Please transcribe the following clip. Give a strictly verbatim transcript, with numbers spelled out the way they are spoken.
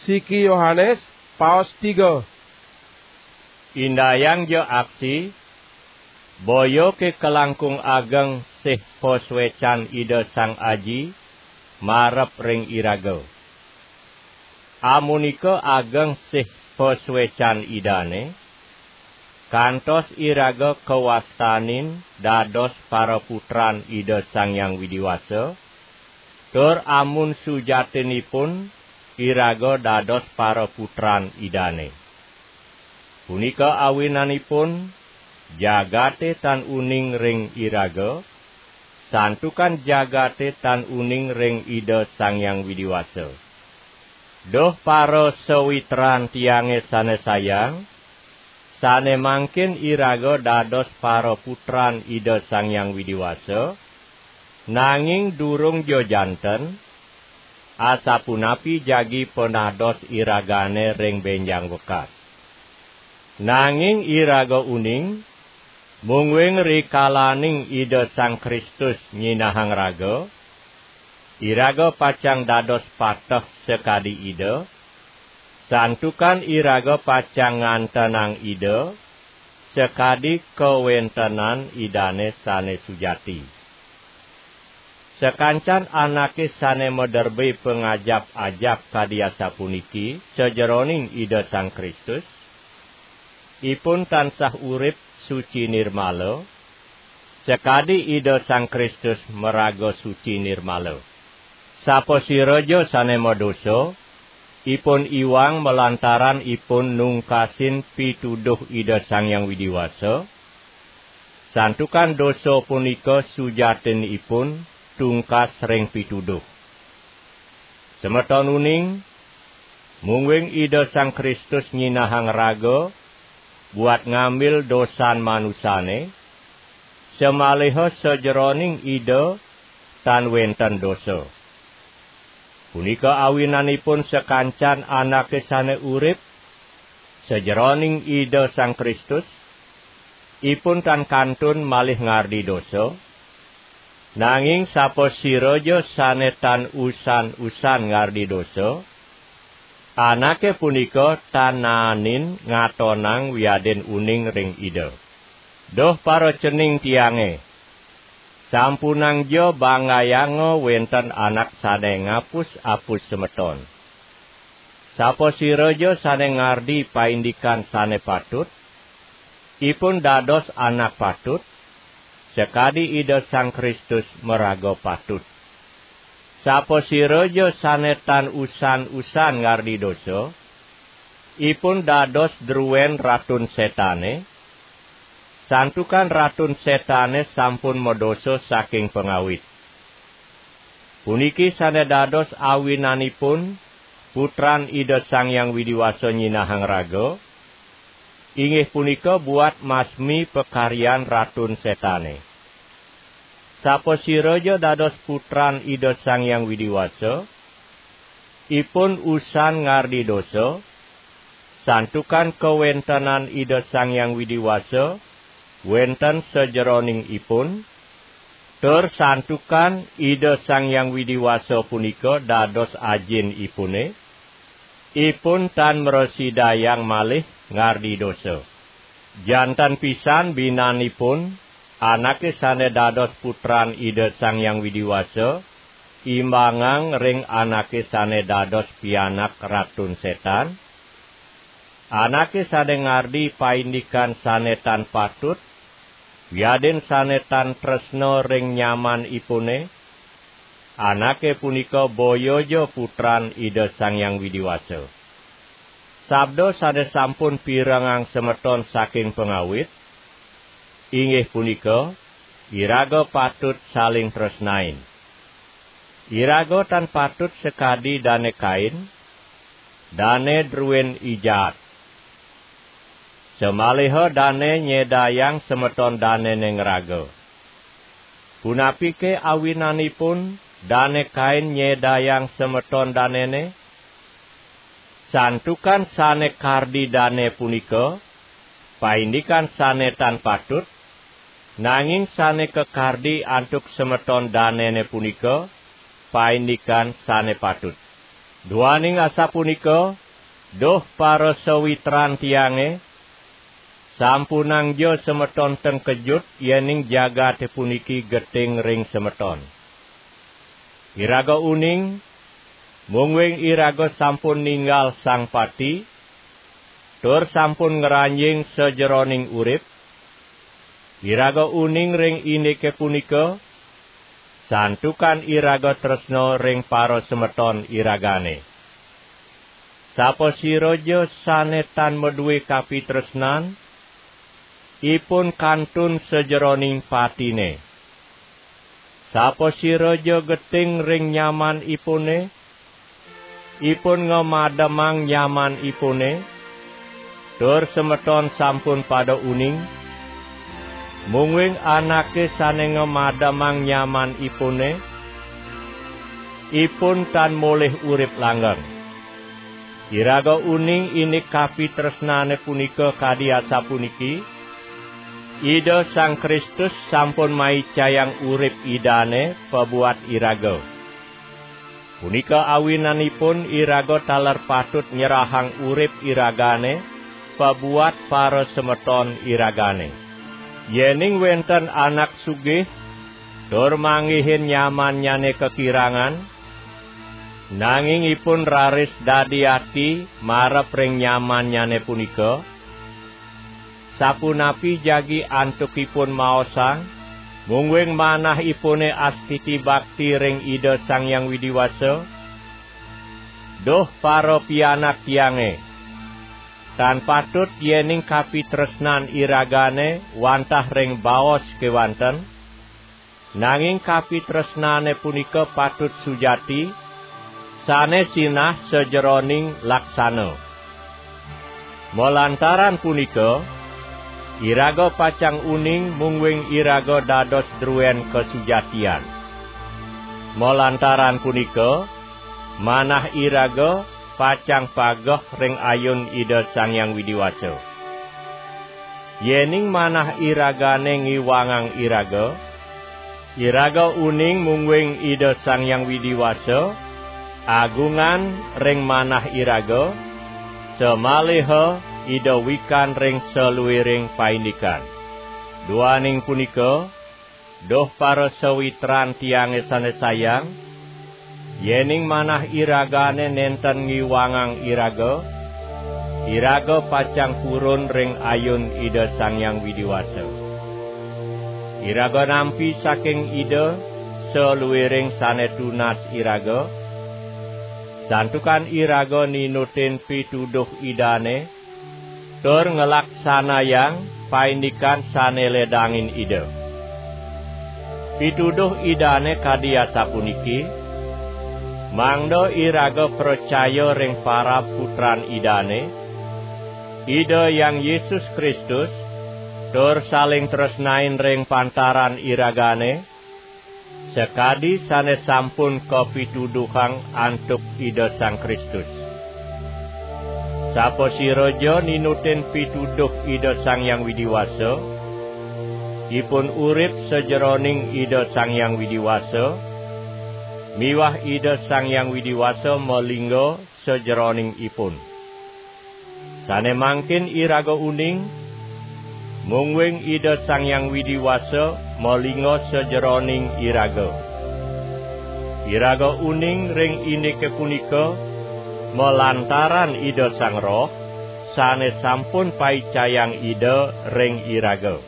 Siki Yohanes, paos tiga. Indayang ja aksi, boya ke kalangkung ageng sih pasuecan Ida Sang Aji marep ring iraga. Amunika ageng sih pasuecan Idane, kantos iraga kawastanin dados paraputran Ida Sang Hyang Widi Wasa, tur amun sujatinipun iraga dados paraputran Idane. Punika awinanipun jagate tan uning ring iraga, santukan jagate tan uning ring Ida Sang Hyang Widi Wasa. Duh parasawitran tiange sane sayang, sane mangkin iraga dados paraputran Ida Sang Hyang Widi Wasa, nanging durung ja janten, asapunapi jagi panados iragane ring benjang wekas. Nanging iraga uning, mungguing rikalaning Ida Sang Kristus nyinahang raga, iraga pacang dados pateh sakadi Ida, santukan iraga pacang ngantenang Ida sakadi kawentenan Idane sane sujati. Sakancan anake sane maderbe pangajap-ajap kadi asapuniki sajeroning Ida Sang Kristus, ipun tansah urip suci nirmala, sakadi Ida Sang Kristus maraga suci nirmala. Sapasiraja sane madosa, ipun iwang malantaran ipun nungkasin pituduh Ida Sang Hyang Widi Wasa, santukan dosa punika sujatinipun tungkas ring pituduh. Semeton uning, mungguing Ida Sang Kristus nyinahang raga buat ngambil dosan manusane, samaliha sajeroning Ida tan wenten dosa. Punika awinanipun sakancan anake sane urip sajeroning Ida Sang Kristus, ipun tan kantun malih ngardi dosa, nanging sapasiraja sane tan usan-usan ngardi dosa, anake punika tan naenin ngatonang wiadin uning ring Ida. Duh paracening tiange, sampunangja banggayanga wenten anak sane ngapus-apus semeton. Sapasiraja sane ngardi paindikan sane patut, ipun dados anak patut, sakadi Ida Sang Kristus maraga patut. Sapasiraja sane tan usan-usan ngardi dosa, ipun dados druen Ratun Setane, santukan Ratun Setane sampun madosa saking pangawit. Puniki sane dados awinanipun Putran Ida Sang Hyang Widi Wasa nyinahang raga, inggih punika buat masmi pakaryan Ratun Setane. Sapasiraja dados putran Ida Sang Hyang Widi Wasa, ipun usan ngardi dosa, santukan kawentenan Ida Sang Hyang Widi Wasa wenten sajeroning ipun, tur santukan Ida Sang Hyang Widi Wasa punika dados ajin ipune, ipun tan mrasidayang malih ngardi dosa. Janten pisan binanipun anake sane dados putran Ida Sang Hyang Widi Wasa, imbangang ring anake sane dados pianak Ratun Setan, anake sane ngardi paindikan sane tan patut, wiadin sane tan tresna ring nyamanipune, anake punika boya ja putran Ida Sang Hyang Widi Wasa. Sabda sane sampun pirengang semeton saking pangawit, inggih punika, iraga patut saling tresnain. Iraga tan patut sakadi Dane Kain, dane druen i jaat. Samaliha dane nyedayang semeton danene ngraga. Punapike awinanipun Dane Kain nyedayang semeton danene? Santukan sane kardi dane punika paindikan sane tan patut, nanging sane kakardi antuk semeton danene punika paindikan sane patut. Duaning asapunika, duh parasawitran tiange, sampunangja semeton tengkejut yening jagate puniki geting ring semeton. Iraga uning, mungguing iraga sampun ninggal Sang Pati, tur sampun ngranjing sajeroning urip. Iraga uning ring indike punika, santukan iraga tresna ring parasemeton iragane. Sapasiraja sane tan madue kapitresnan, ipun kantun sajeroning patine. Sapasiraja geting ring nyamanipune, ipun ngamademang nyamanipune, tur semeton sampun pada uning, mungguing anake sane ngamademang nyamanipune, ipun tan molih urip langgeng. Iraga uning indik kapitresnane punika kadi asapuniki, Ida Sang Kristus sampun maicayang urip Idane pabuat iraga. Punika awinanipun iraga taler patut nyerahang urip iragane pabuat parasemeton iragane. Yening wenten anak sugih tur manggihin nyamannyane kakirangan, nanging ipun raris dadi ati marep ring nyamannyane punika, sapunapi jagi antuk ipun maosang, mungguing manahipune astiti bakti ring Ida Sang Hyang Widi Wasa? Duh parapianak tiange, tan patut yening kapitresnan iragane wantah ring baos kewanten, nanging kapitresnane punika patut sujati, sane sinah sajeroning laksana. Malantaran punika, iraga pacang uning mungguing iraga dados druen kasujatian. Malantaran punika, manah iraga pacang pageh ring ayun Ida Sang Hyang Widi Wasa. Yening manah iragane ngiwangang iraga, iraga uning mungguing Ida Sang Hyang Widi Wasa agungan ring manah iraga, samaliha Ida wikan ring saluiring paindikan. Duaning punika, duh parasawitran tiange sane sayang, yening manah iragane nenten ngiwangang iraga, iraga pacang purun ring ayun Ida Sang Hyang Widi Wasa. Iraga nampi saking Ida saluiring sane tunas iraga, santukan iraga ninutin pituduh Idane, tur nglaksanayang paindikan sane ledangin Ida. Pituduh Idane kadi asapuniki, mangda iraga pracaya ring parab Putran Idane, Ida Hyang Yesus Kristus, tur saling tresnain ring pantaran iragane, sakadi sane sampun kapituduhang antuk Ida Sang Kristus. Sapasiraja ninutin pituduh Ida Sang Hyang Widi Wasa, ipun urip sajeroning Ida Sang Hyang Widi Wasa, miwah Ida Sang Hyang Widi Wasa malingga sajeroning ipun. Sane mangkin iraga uning, mungguing Ida Sang Hyang Widi Wasa malingga sajeroning iraga. Iraga uning ring indike punika, malantaran Ida Sang Roh, sane sampun paicayang Ida ring iraga.